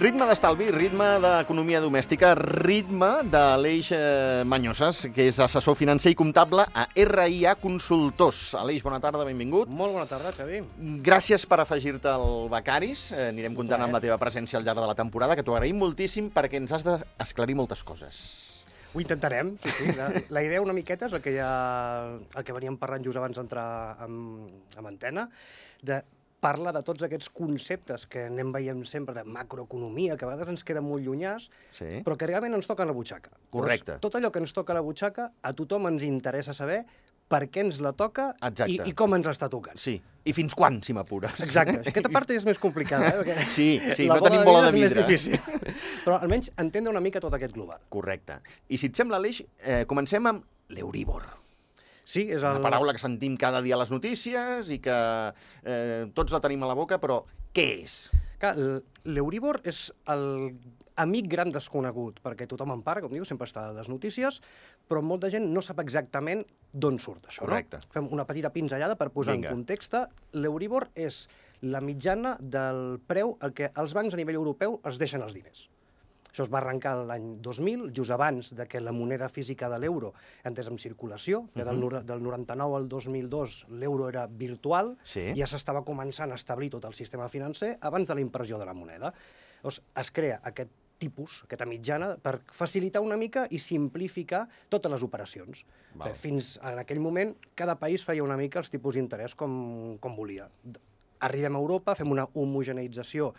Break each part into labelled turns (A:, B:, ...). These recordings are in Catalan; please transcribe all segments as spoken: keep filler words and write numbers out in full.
A: Ritme d'estalvi, ritme d'economia domèstica, ritme de l'Eix eh, Mañosas, que és assessor financer i comptable a R I A Consultors. Aleix, bona tarda, benvingut.
B: Molt bona tarda, Xavi.
A: Gràcies per afegir-te al Becaris. Eh, anirem comptant amb la teva presència al llarg de la temporada, que t'ho agraïm moltíssim perquè ens has d'esclarir moltes coses.
B: Ho intentarem, sí, sí. La, la idea una miqueta és el que, ja, el que veníem parlant just abans d'entrar amb, amb antena, de parla de tots aquests conceptes que anem veient sempre de macroeconomia, que a vegades ens queda molt llunyàs,
A: Sí.
B: però que realment ens toca a la butxaca.
A: Correcte.
B: Llavors, tot allò que ens toca a la butxaca, a tothom ens interessa saber per què ens la toca
A: Exacte.
B: i, i com ens està tocant.
A: Sí, i fins quan, si m'apures.
B: Exacte. Aquesta part és més complicada, eh? Perquè
A: Sí, sí,
B: la
A: no tenim bola de
B: és més
A: vidre.
B: difícil. Però almenys entendre una mica tot aquest global.
A: Correcte. I si et sembla, Aleix, eh, comencem amb l'Euríbor.
B: Sí, és
A: Una
B: el...
A: paraula que sentim cada dia a les notícies i que eh, tots la tenim a la boca, però què és?
B: Clar, l'Euríbor és el amic gran desconegut, perquè tothom en parla, com diu, sempre està a les notícies, però molta gent no sap exactament d'on surt això,
A: Correcte.
B: no? Fem una petita pinzellada per posar
A: Vinga.
B: en context. L'Euríbor és la mitjana del preu al que els bancs a nivell europeu es deixen els diners. Això es va arrencar l'any dos mil, just abans de que la moneda física de l'euro entrés en circulació, que del, nor- del noranta-nou al dos mil dos l'euro era virtual,
A: Sí.
B: i ja s'estava començant a establir tot el sistema financer abans de la impressió de la moneda. Llavors, es crea aquest tipus, aquesta mitjana, per facilitar una mica i simplificar totes les operacions.
A: Val.
B: Bé, fins en aquell moment, cada país feia una mica els tipus d'interès com, com volia. Arribem a Europa, fem una homogeneïtzació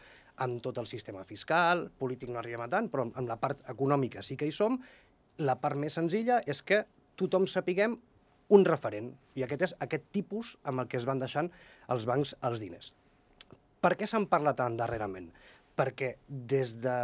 B: amb tot el sistema fiscal, polític no arribem a tant, però amb la part econòmica sí que hi som. La part més senzilla és que tothom sapiguem un referent, i aquest és aquest tipus amb el que es van deixant els bancs els diners. Per què se'n parla tant darrerament? Perquè des de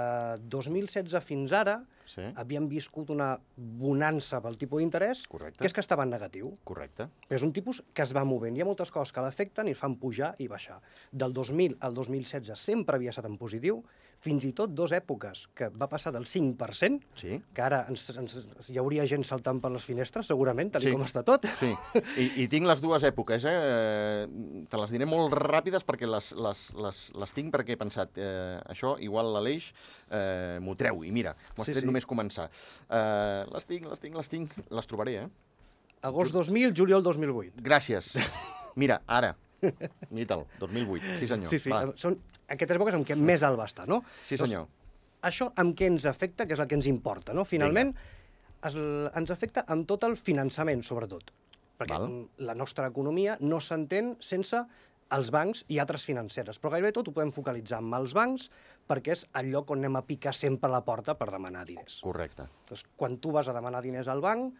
B: dos mil setze fins ara
A: Sí.
B: havíem viscut una bonança pel tipus d'interès,
A: Correcte.
B: que és que estava en negatiu.
A: Correcte.
B: És un tipus que es va movent. Hi ha moltes coses que l'afecten i el fan pujar i baixar. Del dos mil al dos mil setze sempre havia estat en positiu, fins i tot dues èpoques que va passar del cinc per cent,
A: Sí.
B: que ara ens, ens, hi hauria gent saltant per les finestres, segurament, tal
A: Sí.
B: com està tot.
A: Sí, I, i tinc les dues èpoques, eh? Eh, Te les diré molt ràpides perquè les, les, les, les tinc perquè he pensat, eh, això igual l'Aleix eh, m'ho treu. I mira, m'ho has
B: Sí,
A: tret
B: sí.
A: només començar. Eh, les tinc, les tinc, les tinc, les trobaré, eh?
B: Agost dos mil, juliol dos mil vuit.
A: Gràcies. Mira, ara. Mira'l, dos mil vuit. Sí, senyor.
B: Sí, sí,
A: Va.
B: són aquestes èpoques en què més alt va estar, no?
A: Sí, senyor.
B: Això amb què ens afecta, que és el que ens importa, no? Finalment, es, ens afecta amb tot el finançament, sobretot. Perquè
A: Val.
B: la nostra economia no s'entén sense els bancs i altres financeres. Però gairebé tot ho podem focalitzar amb els bancs perquè és el lloc on anem a picar sempre a la porta per demanar diners.
A: Correcte.
B: Doncs, quan tu vas a demanar diners al banc,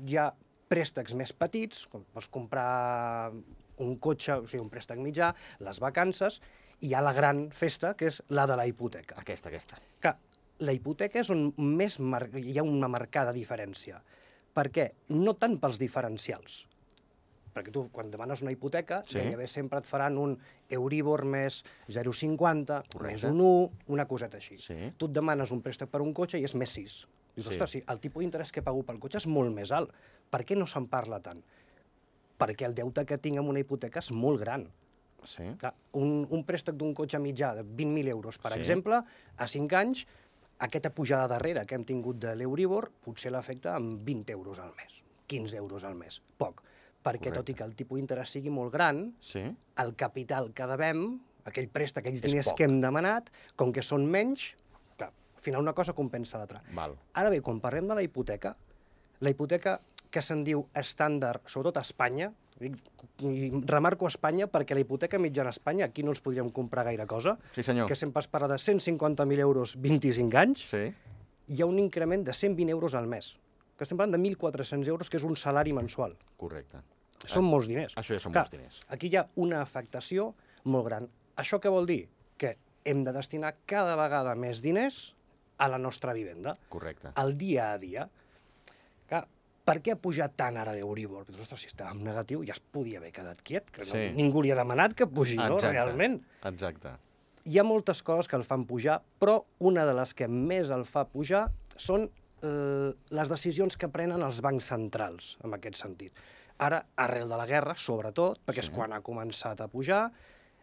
B: hi ha préstecs més petits, com pots comprar un cotxe, o sigui, un préstec mitjà, les vacances, i hi ha la gran festa, que és la de la hipoteca.
A: Aquesta, aquesta.
B: Clar, la hipoteca és on més mar... hi ha una marcada diferència. Per què? No tant pels diferencials. Perquè tu, quan demanes una hipoteca,
A: Sí.
B: gairebé sempre et faran un Euríbor més zero coma cinquanta,
A: Correcte.
B: més un u, una coseta així.
A: Sí.
B: Tu et demanes un préstec per un cotxe i és més sis. Dius,
A: Sí.
B: ostres, sí, el tipus d'interès que pago pel cotxe és molt més alt. Per què no se'n parla tant? Perquè el deute que tinc amb una hipoteca és molt gran.
A: Sí.
B: Clar, un, un préstec d'un cotxe mitjà de vint mil euros, per
A: Sí.
B: exemple, a cinc anys, aquesta pujada darrere que hem tingut de l'Euríbor potser l'afecta amb vint euros al mes, quinze euros al mes, poc. Perquè
A: Correcte.
B: tot i que el tipus d'interès sigui molt gran,
A: Sí.
B: el capital que devem, aquell préstec, aquells
A: És
B: diners
A: poc.
B: que hem demanat, com que són menys, clar, al final una cosa compensa l'altra.
A: Val.
B: Ara bé, quan parlem de la hipoteca, la hipoteca que se'n diu estàndard, sobretot a Espanya, i i remarco a Espanya perquè la hipoteca mitjana a Espanya, aquí no ens podríem comprar gaire cosa,
A: Sí, senyor.
B: que sempre es parla de cent cinquanta mil euros vint-i-cinc anys,
A: Sí.
B: hi ha un increment de cent vint euros al mes, que estem parlant de mil quatre-cents euros, que és un salari mensual.
A: Correcte.
B: Són molts diners.
A: Això ja són
B: Clar,
A: molts diners.
B: Aquí hi ha una afectació molt gran. Això què vol dir? Que hem de destinar cada vegada més diners a la nostra vivenda,
A: Correcte.
B: al dia a dia. Clar, per què ha pujat tant ara l'Euríbor? Dius, ostres, si estàvem negatiu ja es podia haver quedat quiet, que no,
A: Sí.
B: ningú li ha demanat que pugi, no,
A: Exacte.
B: realment.
A: Exacte.
B: Hi ha moltes coses que el fan pujar, però una de les que més el fa pujar són eh, les decisions que prenen els bancs centrals, en aquest sentit. Ara, arrel de la guerra, sobretot, perquè
A: Sí.
B: és quan ha començat a pujar,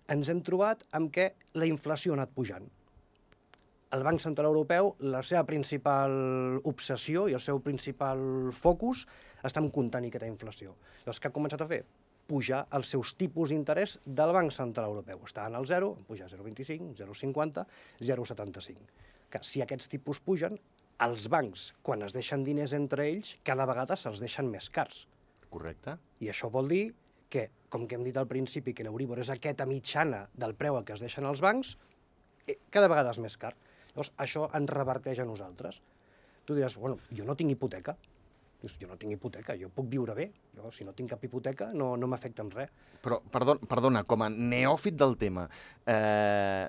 B: ens hem trobat amb què la inflació ha anat pujant. el Banc Central Europeu, la seva principal obsessió i el seu principal focus està en contenir aquesta inflació. Llavors, què ha començat a fer? Pujar els seus tipus d'interès del Banc Central Europeu. Estaven al zero, pujar a zero coma vint-i-cinc, zero coma cinquanta, zero coma setanta-cinc. Que si aquests tipus pugen, els bancs, quan es deixen diners entre ells, cada vegada se'ls deixen més cars.
A: Correcte.
B: I això vol dir que, com que hem dit al principi, que l'Euríbor és aquesta mitjana del preu a què es deixen els bancs, cada vegada és més car. Llavors, això ens reverteix a nosaltres. Tu diràs, bueno, jo no tinc hipoteca. Dius, jo no tinc hipoteca, jo puc viure bé. Jo, si no tinc cap hipoteca, no, no m'afecta en res.
A: Però, perdona, perdona, com a neòfit del tema, eh,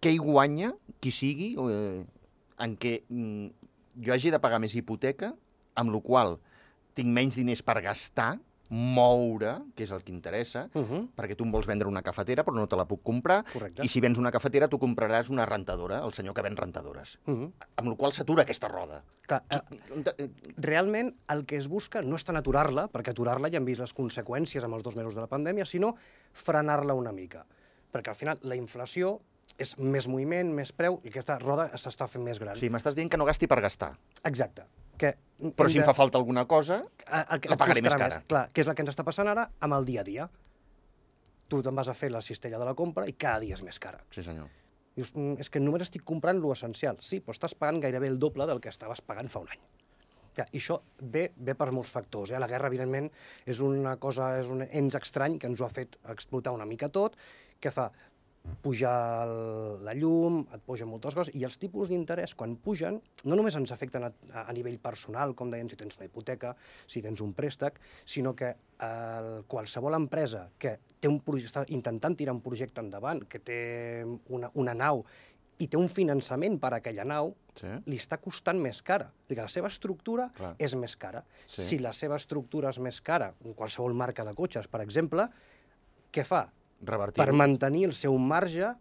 A: què hi guanya, qui sigui, eh, en què mm, jo hagi de pagar més hipoteca, amb la qual tinc menys diners per gastar, moure, que és el que interessa,
B: Uh -huh.
A: perquè tu em vols vendre una cafetera però no te la puc comprar,
B: Correcte.
A: i si vens una cafetera tu compraràs una rentadora, el senyor que ven rentadores.
B: Uh -huh.
A: Amb la qual s'atura aquesta roda.
B: Clar, eh,
A: Eh,
B: realment el que es busca no és tant aturar-la, perquè aturar-la ja hem vist les conseqüències amb els dos mesos de la pandèmia, sinó frenar-la una mica. Perquè al final la inflació és més moviment, més preu, i aquesta roda s'està fent més gran.
A: O sigui, m'estàs dient que no gasti per gastar.
B: Exacte. Que
A: Però si em fa falta alguna cosa,
B: el,
A: la pagaré més cara.
B: Clar, que és el que ens està passant ara amb el dia a dia. Tu te'n vas a fer la cistella de la compra i cada dia és més cara.
A: Sí, senyor.
B: Dius, "Mm, és que només estic comprant lo essencial. Sí, però estàs pagant gairebé el doble del que estaves pagant fa un any. Clar, I això ve, ve per molts factors. Eh? La guerra, evidentment, és una cosa, és un ens estrany que ens ho ha fet explotar una mica tot. Què fa? Pujar el, la llum, et pugen moltes coses, i els tipus d'interès, quan pugen, no només ens afecten a, a nivell personal, com deien, si tens una hipoteca, si tens un préstec, sinó que el, qualsevol empresa que té un projecte, està intentant tirar un projecte endavant, que té una, una nau i té un finançament per a aquella nau,
A: Sí.
B: li està costant més cara. O sigui, la seva estructura
A: Clar.
B: és més cara.
A: Sí.
B: Si la seva estructura és més cara, qualsevol marca de cotxes, per exemple, què fa?
A: Revertir.
B: Per mantenir el seu marge,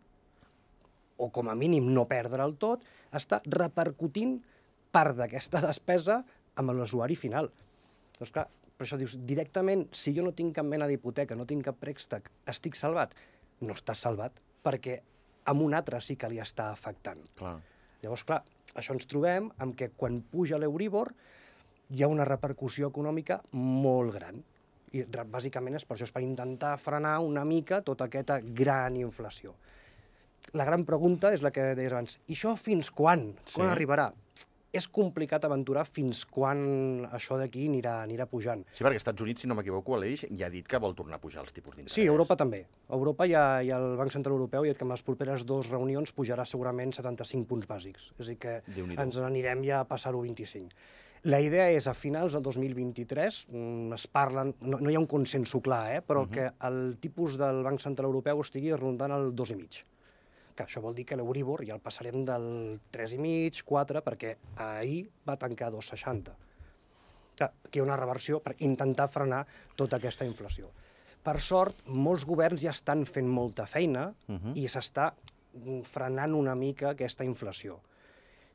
B: o com a mínim no perdre'l tot, està repercutint part d'aquesta despesa amb l'usuari final. Doncs clar, per això dius, directament, si jo no tinc cap mena d'hipoteca, no tinc cap préstec, estic salvat? No estàs salvat, perquè amb un altre sí que li està afectant.
A: Clar.
B: Llavors, clar, això ens trobem amb que quan puja l'Euríbor hi ha una repercussió econòmica molt gran. I bàsicament és per això, és per intentar frenar una mica tota aquesta gran inflació. La gran pregunta és la que deies abans. I això fins quan? Quan
A: Sí.
B: arribarà? És complicat aventurar fins quan això d'aquí anirà, anirà pujant.
A: Sí, perquè als Estats Units, si no m'equivoco, Aleix ja ha dit que vol tornar a pujar els tipus d'interès.
B: Sí, Europa també. A Europa ja, ja el Banc Central Europeu ha dit que en les properes dues reunions pujarà segurament setanta-cinc punts bàsics. És a dir, que
A: Déu-n'hi-do.
B: ens n'anirem ja a passar-ho vint-i-cinc. La idea és, a finals del dos mil vint-i-tres, mm, es parlen, no, no hi ha un consenso clar, eh, però uh -huh. que el tipus del Banc Central Europeu estigui rondant el dos i mig. Que això vol dir que l'Euríbor ja el passarem del tres i mig, quatre, perquè ahir va tancar a dos coma seixanta. Clar, aquí hi ha una reversió per intentar frenar tota aquesta inflació. Per sort, molts governs ja estan fent molta feina
A: Uh -huh.
B: i s'està frenant una mica aquesta inflació.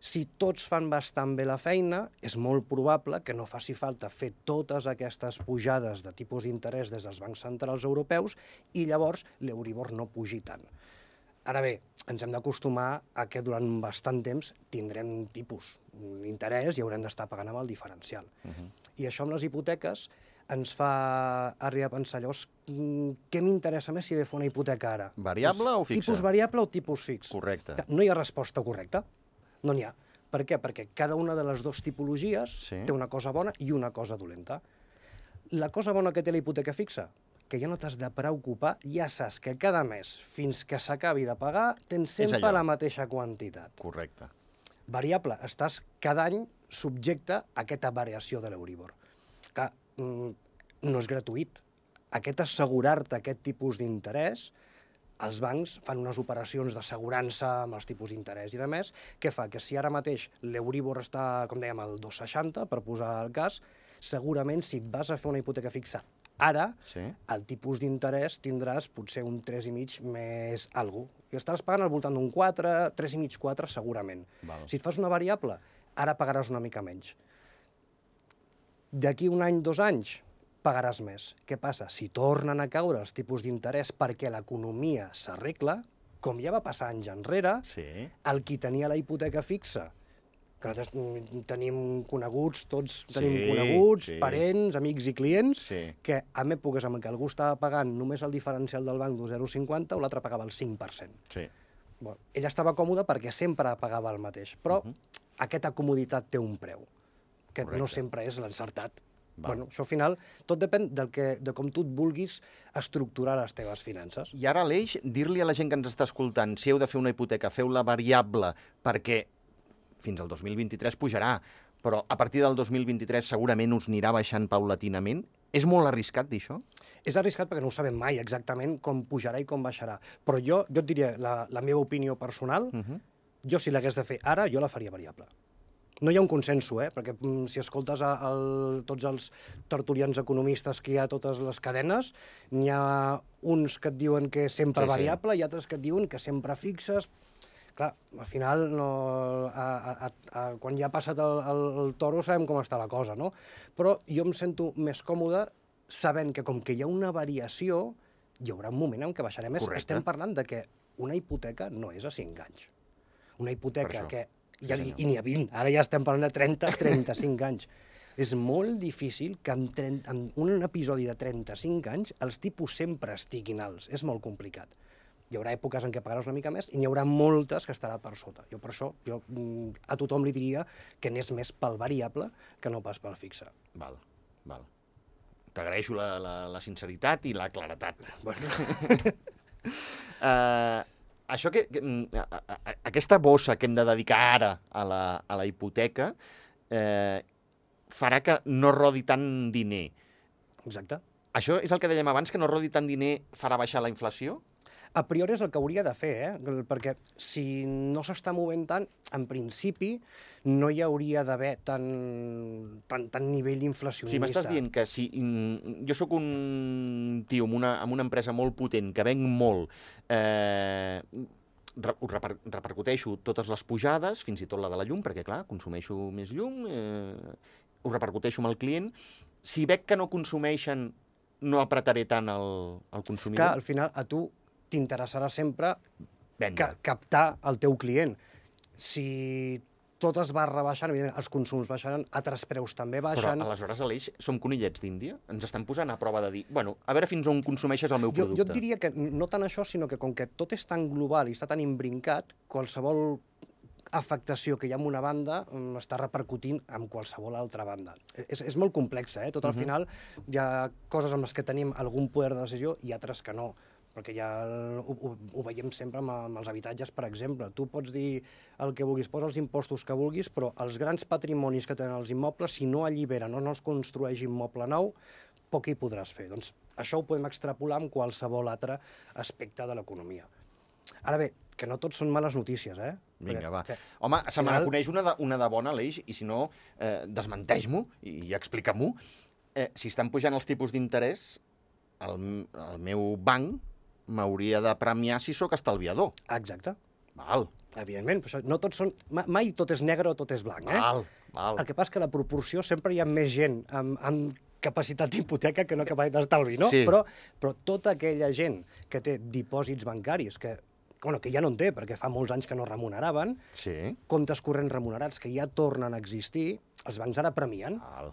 B: Si tots fan bastant bé la feina, és molt probable que no faci falta fer totes aquestes pujades de tipus d'interès des dels bancs centrals europeus i llavors l'Euríbor no pugi tant. Ara bé, ens hem d'acostumar a que durant bastant temps tindrem tipus d'interès i haurem d'estar pagant amb el diferencial.
A: Uh -huh.
B: I això amb les hipoteques ens fa arribar a pensar, llavors, què m'interessa més si he de fer una hipoteca ara?
A: Variable
B: Doncs,
A: o fixa?
B: Tipus variable o tipus fix?
A: Correcte.
B: No hi ha resposta correcta. No n'hi ha. Per què? Perquè cada una de les dues tipologies
A: Sí.
B: té una cosa bona i una cosa dolenta. La cosa bona que té la hipoteca fixa, que ja no t'has de preocupar, ja saps que cada mes, fins que s'acabi de pagar, tens sempre
A: allò.
B: la mateixa quantitat.
A: Correcte.
B: Variable, estàs cada any subjecte a aquesta variació de l'Euríbor. Que mm, no és gratuït. Aquest assegurar-te aquest tipus d'interès, els bancs fan unes operacions d'assegurança amb els tipus d'interès i de més, que fa que si ara mateix l'Euríbor està, com dèiem, al dos coma seixanta, per posar el cas, segurament si et vas a fer una hipoteca fixa ara,
A: Sí.
B: el tipus d'interès tindràs potser un tres i mig més algo. I estaràs pagant al voltant d'un quatre, tres i mig, quatre, segurament.
A: Val.
B: Si et fas una variable, ara pagaràs una mica menys. D'aquí un any, dos anys, pagaràs més. Què passa? Si tornen a caure els tipus d'interès perquè l'economia s'arregla, com ja va passar anys enrere,
A: Sí.
B: el qui tenia la hipoteca fixa, que nosaltres mm, tenim coneguts, tots tenim
A: Sí,
B: coneguts,
A: sí.
B: parents, amics i clients,
A: Sí.
B: que en èpoques en què algú estava pagant només el diferencial del banc d'un zero coma cinquanta o l'altre pagava el cinc per cent.
A: Sí.
B: Bueno, ell estava còmode perquè sempre pagava el mateix, però
A: Uh -huh.
B: aquesta comoditat té un preu, que
A: Correcte.
B: no sempre és l'encertat.
A: Val.
B: Bueno, això al final tot depèn del que, de com tu et vulguis estructurar les teves finances.
A: I ara, Aleix, dir-li a la gent que ens està escoltant, si heu de fer una hipoteca, feu-la variable, perquè fins al dos mil vint-i-tres pujarà, però a partir del dos mil vint-i-tres segurament us anirà baixant paulatinament. És molt arriscat dir això?
B: És arriscat perquè no ho sabem mai exactament com pujarà i com baixarà. Però jo, jo et diria, la, la meva opinió personal,
A: Uh -huh.
B: jo si l'hagués de fer ara, jo la faria variable. No hi ha un consenso, eh? Perquè mm, si escoltes a, a tots els tertulians economistes que hi ha a totes les cadenes, n'hi ha uns que et diuen que és sempre
A: Sí, sí.
B: variable i altres que et diuen que sempre fixes. Clar, al final, no, a, a, a, quan ja ha passat el, el, el toro sabem com està la cosa, no? Però jo em sento més còmode sabent que com que hi ha una variació, hi haurà un moment en què baixarem més.
A: Correcte.
B: Estem parlant de que una hipoteca no és a cinc anys. Una hipoteca
A: això.
B: que...
A: Sí,
B: Ja,
A: senyor.
B: I n'hi ha vint, ara ja estem parlant de trenta a trenta-cinc anys. És molt difícil que en, trenta, en un episodi de trenta-cinc anys els tipus sempre estiguin alts. És molt complicat. Hi haurà èpoques en què pagaràs una mica més i n'hi haurà moltes que estarà per sota. Jo per això jo, mm, a tothom li diria que anés més pel variable que no pas pel fixe.
A: Val, val. T'agraeixo la, la, la sinceritat i la claretat.
B: Bueno,
A: Uh, això que, que mm, a, a, a, aquesta bossa que hem de dedicar ara a la, a la hipoteca eh, farà que no rodi tant diner.
B: exacte.
A: Això és el que dèiem abans, que no rodi tant diner farà baixar la inflació?
B: A priori és el que hauria de fer, eh? Perquè si no s'està movent tant, en principi no hi hauria d'haver tant, tant, tant nivell
A: O
B: inflacionista.
A: sigui, m'estàs dient que si mm, jo sóc un tio amb una, amb una empresa molt potent, que venc molt, eh, re, ho reper, repercuteixo totes les pujades, fins i tot la de la llum, perquè, clar, consumeixo més llum, eh, ho repercuteixo amb el client. Si veig que no consumeixen, no apretaré tant el, el
B: Que
A: consumidor.
B: al final a tu t'interessarà sempre
A: Vendre.
B: ca captar el teu client. Si tot es va rebaixant, evidentment, els consums baixaran, altres preus també
A: Però
B: baixen.
A: aleshores, Aleix, som conillets d'Índia? Ens estan posant a prova de dir, bueno, a veure fins on consumeixes el meu
B: Jo,
A: producte.
B: jo et diria que no tant això, sinó que com que tot és tan global i està tan imbrincat, qualsevol afectació que hi ha en una banda mm, està repercutint en qualsevol altra banda. És, és molt complex, eh? Tot al
A: Mhm.
B: final hi ha coses amb les que tenim algun poder de decisió i altres que no, perquè ja ho, ho, ho veiem sempre amb, amb els habitatges, per exemple. Tu pots dir el que vulguis, posa els impostos que vulguis, però els grans patrimonis que tenen els immobles, si no alliberen o no es construeix immoble nou, poc hi podràs fer. Doncs això ho podem extrapolar amb qualsevol altre aspecte de l'economia. Ara bé, que no tot són males notícies, eh?
A: Vinga,
B: Perquè-
A: va.
B: que-
A: Home, se me
B: final-
A: n'aconeix una, de, una de bona, Aleix, i si no, eh, desmenteix-m'ho i, i explica-m'ho. Eh, si estan pujant els tipus d'interès, el, el meu banc m'hauria de premiar si sóc estalviador.
B: Exacte.
A: Val,
B: Evidentment, però això no tots són... ma- Mai tot és negre o tot és blanc, eh?
A: val, val.
B: El que passa és que la proporció sempre hi ha més gent amb, amb capacitat d'hipoteca que no capacitat d'estalvi, no?
A: Sí.
B: Però, però tota aquella gent que té dipòsits bancaris, que, que, bueno, que ja no en té, perquè fa molts anys que no remuneraven,
A: Sí,
B: comptes corrents remunerats que ja tornen a existir, els bancs ara premien.
A: val.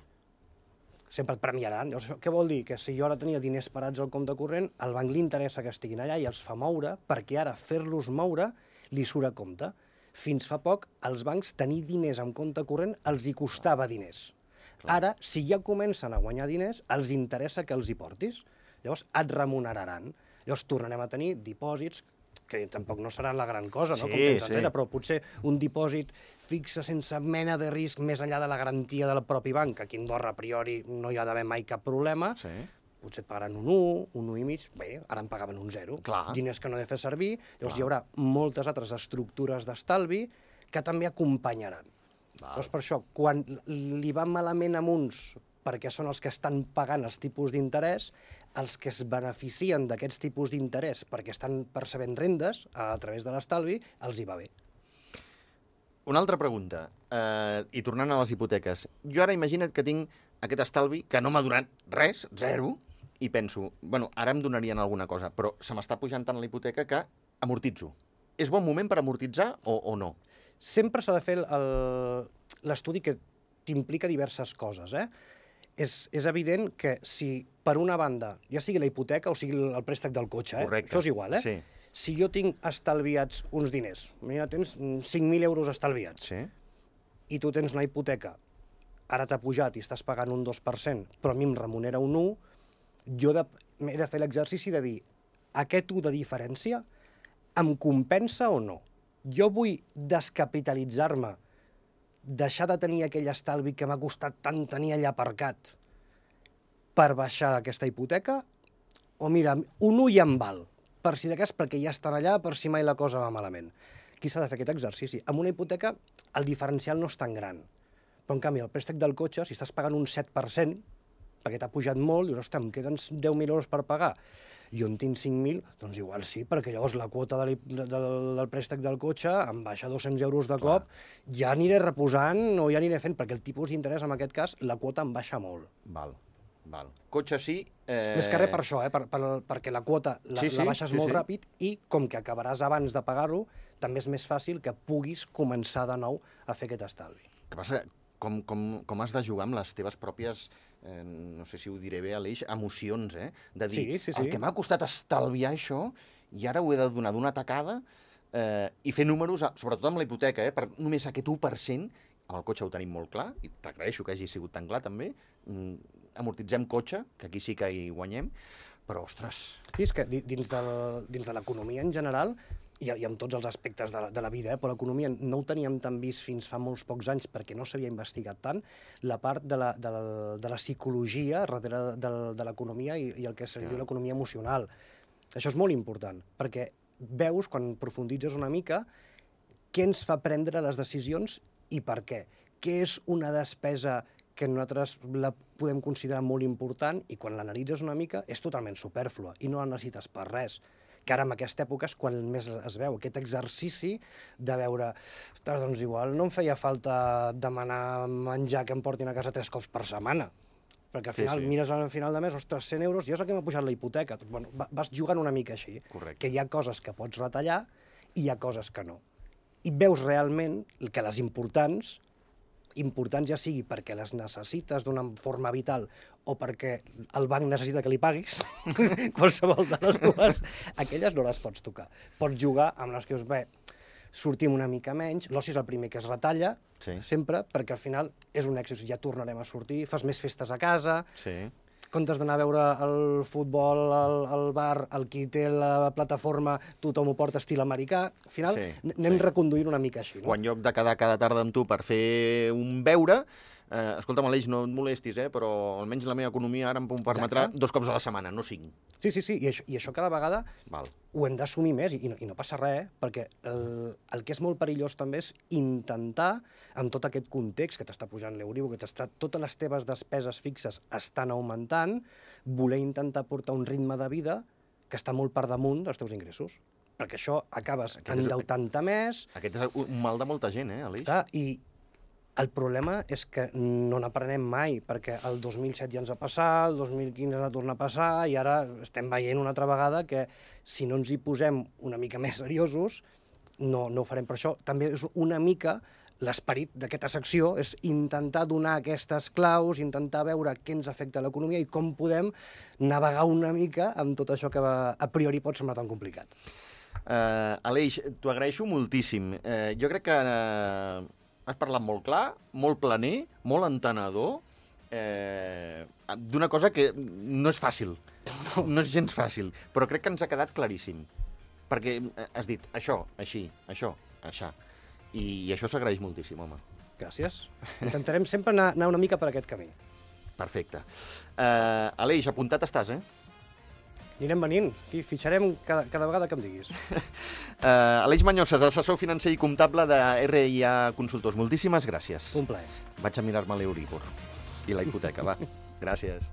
B: Sempre et premiaran. Llavors, això què vol dir? Que si jo ara tenia diners parats al compte corrent, al banc li interessa que estiguin allà i els fa moure, perquè ara fer-los moure li surt a compte. Fins fa poc, als bancs tenir diners en compte corrent els hi costava diners.
A: Clar.
B: Ara, si ja comencen a guanyar diners, els interessa que els hi portis. Llavors, et remuneraran. Llavors, tornarem a tenir dipòsits que tampoc no seran la gran cosa, no?
A: Sí,
B: Com temps
A: sí.
B: enrere, però potser un dipòsit fixe sense mena de risc més enllà de la garantia del propi banc, que aquí a Andorra a priori no hi ha d'haver mai cap problema,
A: Sí.
B: potser et pagaran un un, un un i mig, bé, ara em pagaven un zero.
A: Clar.
B: Diners que no he de fer servir, llavors
A: Clar.
B: hi haurà moltes altres estructures d'estalvi que també acompanyaran.
A: Val.
B: Llavors, per això, quan li va malament a uns perquè són els que estan pagant els tipus d'interès, els que es beneficien d'aquests tipus d'interès perquè estan percebent rendes a través de l'estalvi, els hi va bé.
A: Una altra pregunta, eh, i tornant a les hipoteques. Jo ara imagina't que tinc aquest estalvi que no m'ha donat res, zero, i penso, bueno, ara em donarien alguna cosa, però se m'està pujant tant la hipoteca que amortitzo. És bon moment per amortitzar o, o no?
B: Sempre s'ha de fer l'estudi que t'implica diverses coses, eh? És, és evident que si, per una banda, ja sigui la hipoteca o sigui el préstec del cotxe, eh?
A: Correcte.
B: Això és igual, eh?
A: Sí.
B: Si jo tinc estalviats uns diners, mira, tens cinc mil euros estalviats,
A: Sí.
B: i tu tens una hipoteca, ara t'ha pujat i estàs pagant un dos per cent, però a mi em remunera un u, jo de, m'he de fer l'exercici de dir, aquest u de diferència em compensa o no? Jo vull descapitalitzar-me, deixar de tenir aquell estalvi que m'ha costat tant tenir allà aparcat per baixar aquesta hipoteca? O mira, un u ja em val, per si de cas, perquè ja estan allà, per si mai la cosa va malament. Aquí s'ha de fer aquest exercici. Amb una hipoteca el diferencial no és tan gran. Però, en canvi, el préstec del cotxe, si estàs pagant un set per cent, perquè t'ha pujat molt, dius, ostres, em queden deu mil euros per pagar, i on tinc cinc mil, doncs igual sí, perquè llavors la quota de de, del, del préstec del cotxe em baixa dos-cents euros de cop, clar, ja aniré reposant o ja aniré fent, perquè el tipus d'interès, en aquest cas, la quota em baixa molt.
A: Val, val. Cotxe sí... Eh...
B: Més que res per això, eh? per, per, perquè la quota la,
A: sí, sí,
B: la baixes
A: sí,
B: molt
A: sí.
B: ràpid i, com que acabaràs abans de pagar-lo, també és més fàcil que puguis començar de nou a fer aquest estalvi.
A: El que passa, com, com, com has de jugar amb les teves pròpies, eh, no sé si ho diré bé, Aleix, emocions, eh? De dir,
B: Sí, sí, sí.
A: el que m'ha costat estalviar això, i ara ho he de donar d'una tacada, eh, i fer números, sobretot amb la hipoteca, eh? Per només aquest u per cent, amb el cotxe ho tenim molt clar, i t'agraeixo que hagi sigut tan clar també, mm, amortitzem cotxe, que aquí sí que hi guanyem, però, ostres...
B: Sí, és que dins de, dins de l'economia en general, i, i amb tots els aspectes de la, de la vida, eh, però l'economia no ho teníem tan vist fins fa molts pocs anys perquè no s'havia investigat tant, la part de la, de la, de la psicologia darrere de, de l'economia i, i el que se li diu l'economia emocional. Això és molt important, perquè veus, quan profunditzes una mica, què ens fa prendre les decisions i per què. Què és una despesa que nosaltres la podem considerar molt important i quan l'analitzes una mica és totalment superflua i no la necessites per res. Que ara en aquesta època és quan més es veu aquest exercici de veure, ostres, doncs igual no em feia falta demanar menjar que em portin a casa tres cops per setmana. Perquè al final
A: Sí, sí.
B: mires al final de mes, ostres, cent euros, ja és el que m'ha pujat la hipoteca. Doncs, bueno, va- vas jugant una mica així.
A: Correcte.
B: Que hi ha coses que pots retallar i hi ha coses que no. I veus realment que les importants, importants ja sigui perquè les necessites d'una forma vital o perquè el banc necessita que li paguis, qualsevol de les dues, aquelles no les pots tocar. Pots jugar amb les que us ve, sortim una mica menys, l'oci és el primer que es retalla,
A: Sí.
B: sempre, perquè al final és un èxit, ja tornarem a sortir, fas més festes a casa,
A: Sí.
B: comptes d'anar a veure el futbol al, al bar, el qui té la plataforma, tothom ho porta estil americà, al final
A: Sí,
B: n- anem
A: sí.
B: reconduint una mica així.
A: O
B: No?
A: en lloc de quedar cada tarda amb tu per fer un beure, eh, escolta'm, Aleix, no et molestis, eh, però almenys la meva economia ara em permetrà
B: Exacte.
A: dos cops a la setmana, no cinc.
B: Sí, sí, sí, i això, i això cada vegada
A: Val.
B: ho hem d'assumir més i, i, no, i no passa res, eh? Perquè el, el que és molt perillós també és intentar, amb tot aquest context que t'està pujant l'Euribor, que t'està, totes les teves despeses fixes estan augmentant, voler intentar portar un ritme de vida que està molt per damunt dels teus ingressos. Perquè això acabes
A: Aquest és-
B: endeutant-te més,
A: Aquest és un mal de molta gent, eh, Aleix?
B: clar, i el problema és que no n'aprenem mai, perquè el dos mil set ja ens va passar, el dos mil quinze ens va tornar a passar, i ara estem veient una altra vegada que si no ens hi posem una mica més seriosos, no, no ho farem. Per això també és una mica l'esperit d'aquesta secció, és intentar donar aquestes claus, intentar veure què ens afecta a l'economia i com podem navegar una mica amb tot això que va, a priori pot semblar tan complicat.
A: Uh, Aleix, t'ho agraeixo moltíssim. Uh, jo crec que uh, has parlat molt clar, molt planer, molt entenedor, eh, d'una cosa que no és fàcil, no. no és gens fàcil, però crec que ens ha quedat claríssim. Perquè has dit això, així, això, això. I, i això s'agraeix moltíssim, home.
B: Gràcies. Intentarem sempre anar, anar una mica per aquest camí.
A: Perfecte. Uh, Aleix, apuntat estàs, eh?
B: Anirem venint. Aquí fitxarem cada, cada vegada que em diguis.
A: Uh, Aleix Mañoses, assessor financer i comptable de R I A Consultors. Moltíssimes gràcies.
B: Un plaer.
A: Vaig a mirar-me l'Euribor i la hipoteca, va. Gràcies.